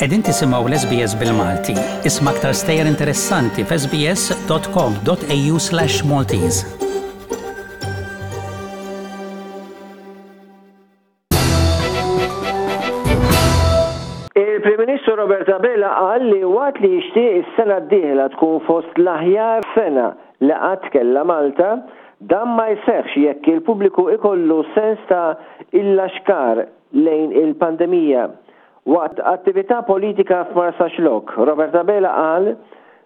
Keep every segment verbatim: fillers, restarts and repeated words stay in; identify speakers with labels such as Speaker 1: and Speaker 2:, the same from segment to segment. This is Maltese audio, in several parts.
Speaker 1: Qegħdin tisimgħu l-S B S bil-Malti. Isma' aktar stejjer interessanti f'S B S dot com dot A U slash Maltese.
Speaker 2: Il-Prim Ministru Robert Abela qal li waqt li jixtieq is-sena d-dieħla tkun fost l-aħjar sena li qatt kellha Malta, dan ma jseħħx jekk il-pubbliku ikollu sens ta' illaxkar lejn il-pandemija. Waqt attività politika f'Marsaxlokk, Robert Abela qal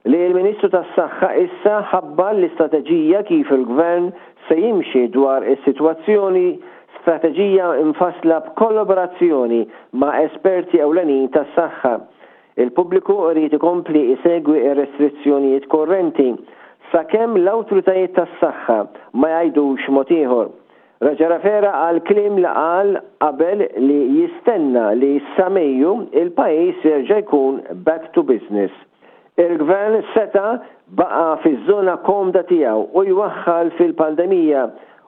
Speaker 2: li l-Ministru tas-Saħħa issa ħabbar l-istrateġija kif il-Gvern se jimxi dwar is-sitwazzjoni, strateġija mfassla b'kollaborazzjoni ma' esperti ewlenin tas-saħħa. Il-pubbliku irid ikompli isegwi ir-restrizzjonijiet korrenti sakemm l-awtoritajiet tas-saħħa ma jgħidux mod ieħor. Reġa' refera għal kliem li qal qabel li jistenna li sa Mejju il-pajjiż jerġa' jkun back to business. Il-gvern seta' baqa' fiż-żona komda tiegħu u jwaħħal fil-pandemija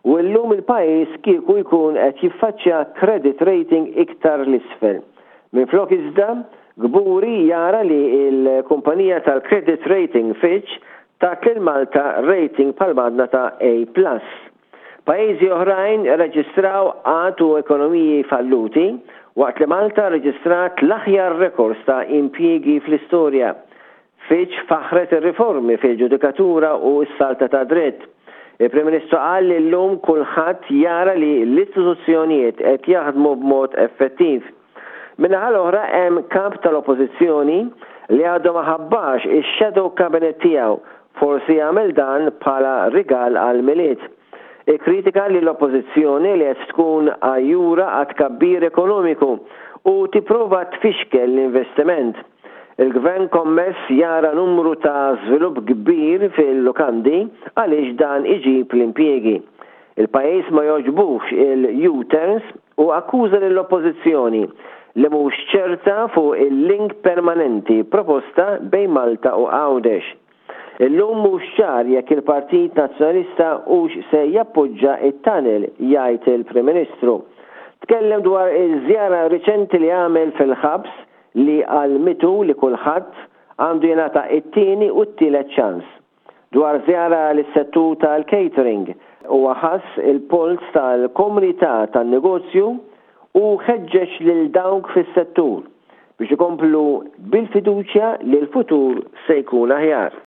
Speaker 2: u llum il-pajjiż kieku jkun qed jiffaċċja credit rating iktar l-isfel. Minflok iżda, kburi jara li l-kumpanija tal-credit rating Fitch tat lil Malta rating pal-madna ta' A plus. Pajjiżi oħrajn reġistraw qgħad u ekonomiji falluti, waqt li Malta reġistrat l-aħjar rekords ta' impjiegi fl-istorja. Fitch faħret ir-riformi fil-ġudikatura u s-saltna tad-dritt. Il-Prim Ministru qal li llum kulħadd jara li l-istituzzjonijiet qed jaħdmu b'mod effettiv. Min-naħa l-oħra hemm kap tal-Oppożizzjoni li għadu ma ħabbarx ix-shadow cabinet tiegħu, forsi jagħmel dan bħala rigal għall-Milied. Ikkritika li l-Oppożizzjoni li qed tkun għajjura għat-tkabbir ekonomiku u tipprova tfixkel l-investiment. Il-gvern kommess jara numru ta' żvilupp kbir fil-lukandi għaliex dan iġib l-impjiegi. Il-pajjiż ma jogħġbux il-U-turns u akkuża lill-Oppożizzjoni li mhux ċerta fuq il-link permanenti proposta bejn Malta u Għawdex. Illum mhux ċar jekk il-Partit Nazzjonalista hux se jappoġġa it-tunnel, jgħid il-Prim Ministru. Tkellem dwar iż-żjara riċenti li għamel fil-ħabs li għallmitu li kulħadd għandu jingħata it-tieni u t-tielet ċans. Dwar żjara lis-settur tal-catering, u ħass il-polz tal-komunità tan-negozju u ħeġġeġ lil dawk fis-settur biex ikomplu bil-fiduċja li l-futur se jkun aħjar.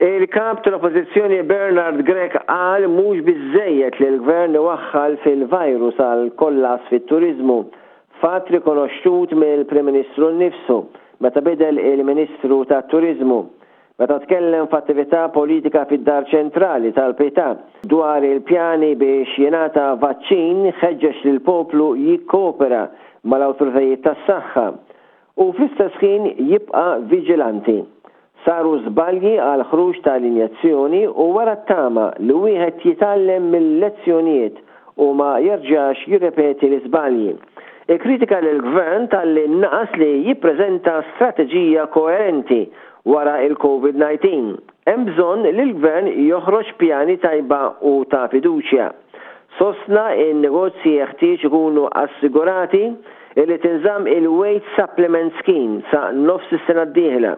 Speaker 2: Il-kap tal-Oppożizzjoni Bernard Grech qal mhux biżejjed li l-gvern iwaħħal fil-virus għal kollass fit-turizmu, fatt rikonoxxut mill-Prim Ministru nnifsu meta bidel il-Ministru tat-Turizmu. Meta tkellem f'attività politika fid-Dar Ċentrali tal-Pietà dwar il-pjani biex jingħata vaċċin, ħeġġeġ lill-poplu jikkopera mal-awtoritajiet tas-saħħa u fl-istess ħin jibqa' viġilanti. Saru żbalji għal ħruġ tal-injezzjoni u wera t-tama li wieħed jitgħallem mill-lezzjonijiet u ma jerġax jirrepeti l-iżbalji. Ikkritika lill-gvern talli naqas li jippreżenta strateġija koerenti wara il-COVID nineteen. Hemm bżonn li l-gvern joħroġ pjani tajba u ta' fiduċja. Sostna in-negozji jeħtieġ ikunu assigurati li tinżamm il-Wage Supplement Scheme sa nofs is-sena d-dieħla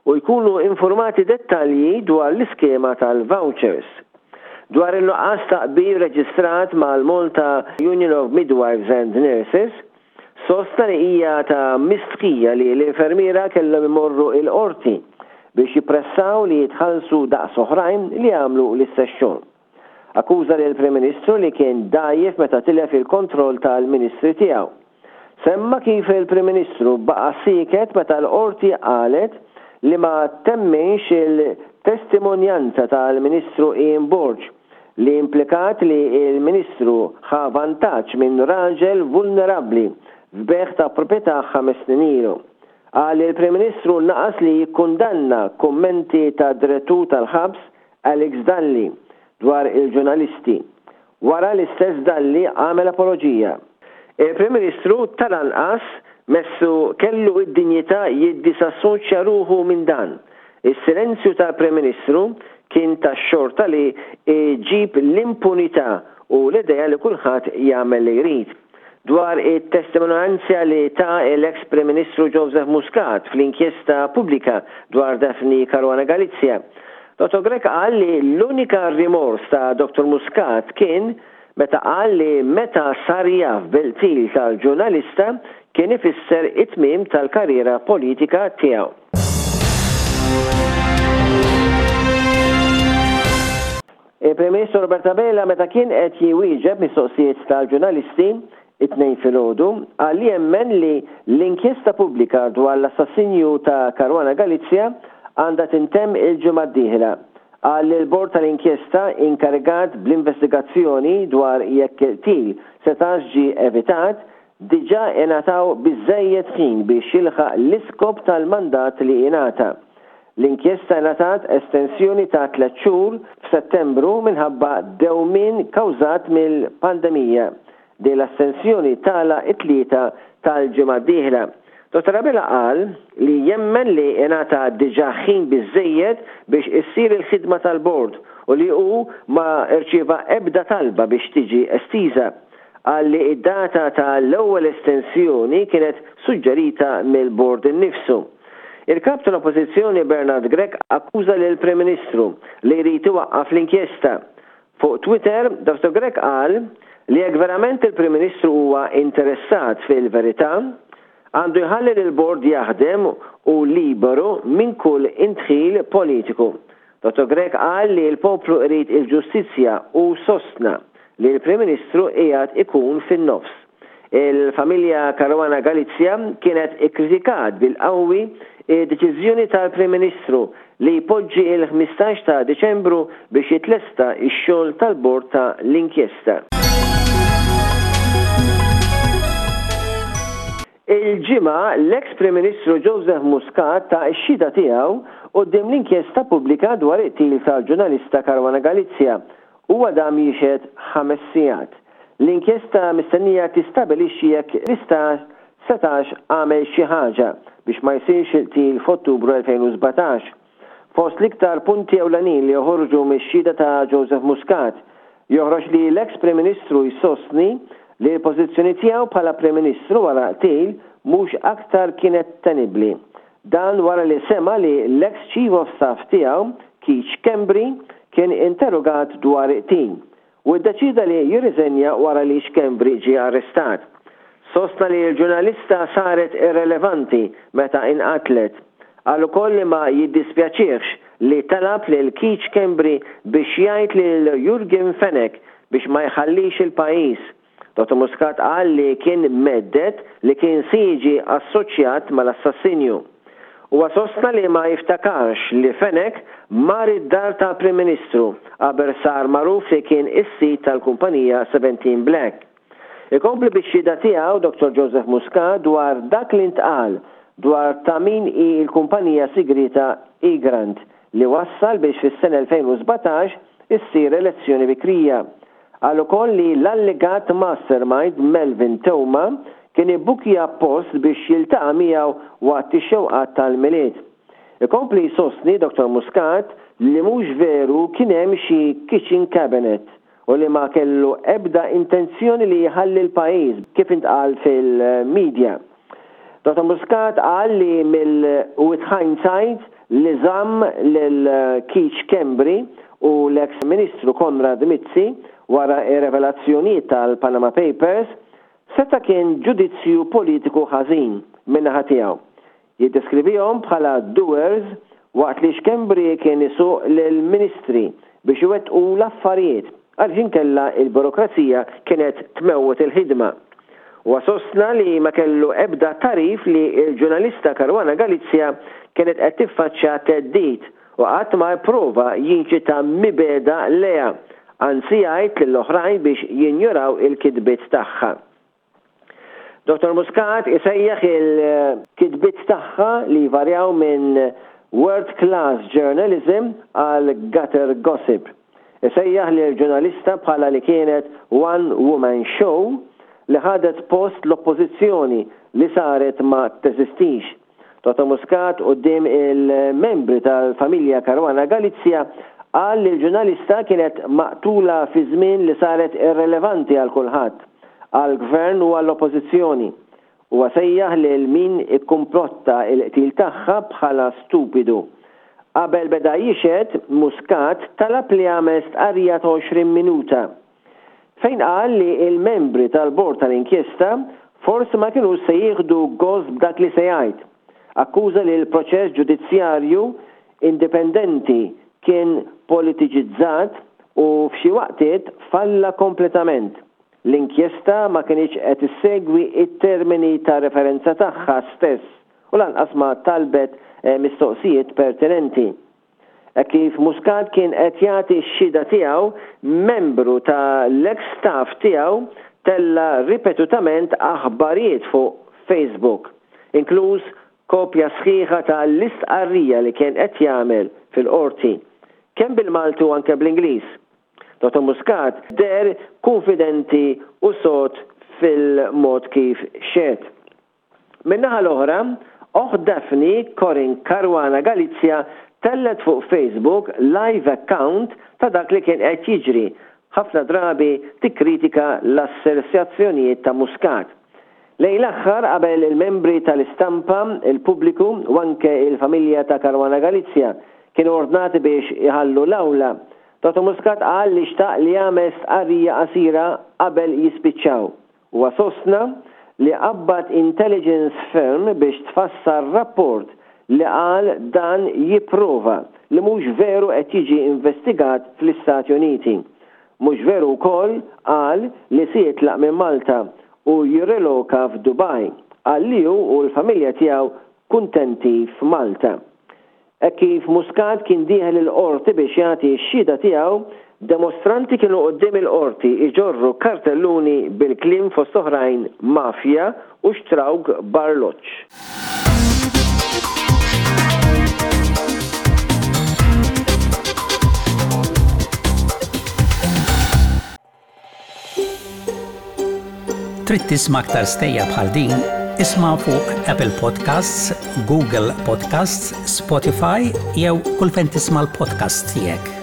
Speaker 2: u jkunu informati dettalji dwar l-iskema tal-vouchers. Dwar il-nuqqas ta' qbil reġistrat mal-Malta Union of Midwives and Nurses, sostna li hija ta' mistħija li l-infermiera kellhom imorru il-qorti biex jippressaw li jitħallsu daqs oħrajn li jagħmlu l-istess xogħol. Akkuża lill-Prim Ministru li kien dgħajjef meta tilef il-kontroll tal-Ministri tiegħu. Semma kif il-Prim Ministru baqa' sieket meta l-qorti qalet li ma temminx il-testimonjanza tal-Ministru Ian Borg li implikat li il-Ministru ħa vantaġġ minn raġel vulnerabbli f'bejgħ ta' proprjetà ħames snin ilu. Qal li l-Prim Ministru naqas li jikkundanna kummenti ta' direttur tal-ħabs Alex Dalli dwar il-ġurnalisti. Wara l-istess Dalli għamel apoloġija. Il-Prim Ministru tal-anqas messu kellu id-dinjità jiddisassoċja ruħu minn dan. Is-silenzju tal-Prim Ministru kien tax-xorta li ġib l-impunità u l-idea li kulħadd jagħmel li jrid. Dwar it-testimonjanza li ta l-ex Prim Ministru Joseph Muscat fl-inkjesta pubblika dwar Daphne Caruana Galizia, Dottor Grech qal li l-unika rimors ta' Dottor Muscat kien meta qal li meta sar jaf bil-qtil tal-ġurnalista kien ifisser it-tmiem tal-karriera politika tiegħu. Il-Prim Ministru Robert Abela, meta kien qed jwieġeb mistoqsijiet tal-ġurnalisti it-Tnejn filgħodu, qal li jemmen li l-inkjesta pubblika dwar l-assassinju ta' Caruana Galizia għandha tintemm il-ġimgħa d-dieħla. Qal li l-bord tal-inkjesta inkarigat bl-investigazzjoni dwar jekk il-qtil setax ġie evitat diġà ingħataw biżżejjed ħin biex jilħaq l-iskop tal-mandat li ingħata. L-inkjesta ingħatat estensjoni ta' tliet xhur f'Settembru minħabba dewmien kawżat mill-pandemija. Din l-estensjoni tagħlaq it-Tlieta tal-ġimgħa d-dieħla. Dottor Abela qal li jemmen li ingħata diġà ħin biżżejjed biex issir il-ħidma tal-bord u li hu ma rċieva ebda talba biex tiġi estiża. Qal li id-data tal-ewwel estensjoni kienet suġġerita mill-bord innifsu. Il-kap tal-Oppożizzjoni Bernard Grech akkuża lill-Prim Ministru li jrid iwaqqaf l-inkjesta. Fuq Twitter, Dottor Grech qal li jekk verament il-Prim Ministru huwa interessat fil-verità, għandu jħalli lill-bord jaħdem u liberu minn kull indħil politiku. Dottor Grech qal li l-poplu irid il-ġustizzja u sostna li l-Prim Ministru qiegħed ikun fin-nofs. Il-familja Caruana Galizia kienet ikkritikat bil-qawwi id-deċiżjoni tal-Prim Ministru li jpoġġi il-ħmistax ta' Diċembru biex jitlesta x-xogħol tal-bord ta' l-inkjesta. Il-ġimgħa l-ex Prim Ministru Joseph Muscat ta' x-xhieda tiegħu quddiem l-inkjesta pubblika dwar il-qtil tal-ġurnalista Caruana Galizia. Huwa dam jixhed ħames sigħat. L-inkjesta mistennija tistabilixxi jekk l-istat setax għamel xi ħaġa biex ma jsirx il-qtil f'Ottubru elfejn u sbatax. Fost l-iktar punti ewlenin li joħorġu mix-xhieda ta' Joseph Muscat, joħroġ li l-ex Prim Ministru jsostni li l-pożizzjoni tiegħu bħala Prim Ministru wara qtil mhux aktar kienet tenibbli. Dan wara li sema li l-ex Chief of Staff tiegħu, Keith Schembri, kien interrogat dwar qtil u ddeċida li jirriżenja wara li Schembri ġie arrestat. Sostna li l-ġurnalista saret irrelevanti meta inqatlet. Qal ukoll li ma jiddispjaċihx li talab lil Keith Schembri biex jgħid lil Yorgen Fenech biex ma jħallix il-pajjiż. Dottor Muscat qal li kien meddet li kien se jiġi assoċjat mal-assassinju. Huwa sostna li ma jiftakarx li Fenech mar id-dar tal-Prim Ministru qabel sar magħruf li kien is-sid tal-kumpanija seventeen Black. Ikompli bix-xhieda tiegħu Dottor Joseph Muscat dwar dak li ntqal dwar ta' min hi l-kumpanija sigrita Egrant li wassal biex fis-sena elfejn u sbatax issir elezzjoni bikrija. Qal ukoll li l-allegat mastermind Melvin Theuma kien ibbukja post biex jiltaqa' miegħu waqt ix-xewqat tal-Milied. Ikompli jsostni Dottor Muscat li mhux veru kien hemm xi kitchen cabinet u li ma kellu ebda intenzjoni li jħalli l-pajjiż kif intqal fil-media. Dottor Muscat qal li mill with hindsight li żamm lil Keith Schembri u l-ex Ministru Konrad Mizzi wara ir-revelazzjonijiet tal-Panama Papers seta' kien ġudizzju politiku ħażin min-naħa tiegħu. Jiddeskrivihom bħala doers waqt li Schembri kien isuq lill-ministri biex iwettqu l-affarijiet għaliex inkella il-burokrazija kienet tmewwet il-ħidma. Huwa sostna li ma kellu ebda tarif li l-ġurnalista Caruana Galizia kienet qed tiffaċċja theddid u qatt ma pprova jinċita mibegħda lejha, anzi jgħid lill-oħrajn biex jinjoraw il-kitbiet tagħha. Dottor Muscat isejjaħ il-kitbiet tagħha li jvarjaw minn world class journalism għal gutter gossip. Isejjaħ lil ġurnalista bħala li kienet one woman show li ħadet post l-oppożizzjoni li saret ma teżistix. Dottor Muscat quddiem il-membri tal-familja Caruana Galizia Qal li l-ġurnalista kienet maqtula fi żmien li saret irrelevanti għal kulħadd, għall-Gvern u għall-Oppożizzjoni. Huwa sejjaħ lil min ikkumplotta l-qtil tagħha bħala stupidu. Qabel beda jixhed, Muscat talab li jagħmel stqarrija ta' għoxrin minuta. Fejn qal li l-membri tal-bord tal-inkjesta forsi ma kinux se jieħdu gost b'dak li se jgħid. Akkuża li l-proċess ġudizzjarju indipendenti kien politiċizzat u f'xi waqtiet falla kompletament. L-inkjesta ma kinitx qed issegwi t-termini ta' referenza tagħha stess u lanqas ma talbet mistoqsijiet pertinenti. Hekk kif Muscat kien qed jagħti x-xhieda tiegħu, membru ta' l-eks staff tiegħu tella' ripetutament aħbarijiet fuq Facebook, inkluż kopja sħiħa ta' l-istqarrija li kien qed jagħmel fil-Qorti, kemm bil-Malti u anke bl-Ingliż. Dottor Muscat deher kunfidenti u sod fil-mod kif xehed. Min-naħa l-oħra, oħt Daphne, Corinne Caruana Galizia, tellgħet fuq Facebook live account ta' dak li kien qed jiġri, ħafna drabi tikkritika l-assersjazzjonijiet ta' Muscat. Lejn l-aħħar qabel il-membri tal-istampa, il-pubbliku u anke il-familja ta' Caruana Galizia kienu ordnati biex iħallu l-awla, Dottor Muscat qal li xtaq li jagħmel stqarrija qasira qabel jispiċċaw. Huwa sostna li qabbad intelligence firm biex tfassal rapport li qal dan jipprova li mhux veru qed jiġi investigat fl-Istati Uniti. Mhux veru wkoll qal li se jitlaq minn Malta u jirreloka f'Dubaj. Qal li hu u l-familja tiegħu kuntenti f'Malta. Hekk kif Muscat kien dieħel il-Qorti biex jagħti x-xhieda tiegħu, demostranti kienu quddiem il-Qorti jġorru kartelluni bil-kliem fost oħrajn Mafja u xtrawk b'arloġġ.
Speaker 1: Trid tisma' aktar stejjer bħal din? Isma' fuq Apple Podcasts, Google Podcasts, Spotify jew kull fejn tisma' l-podcasts tiegħek.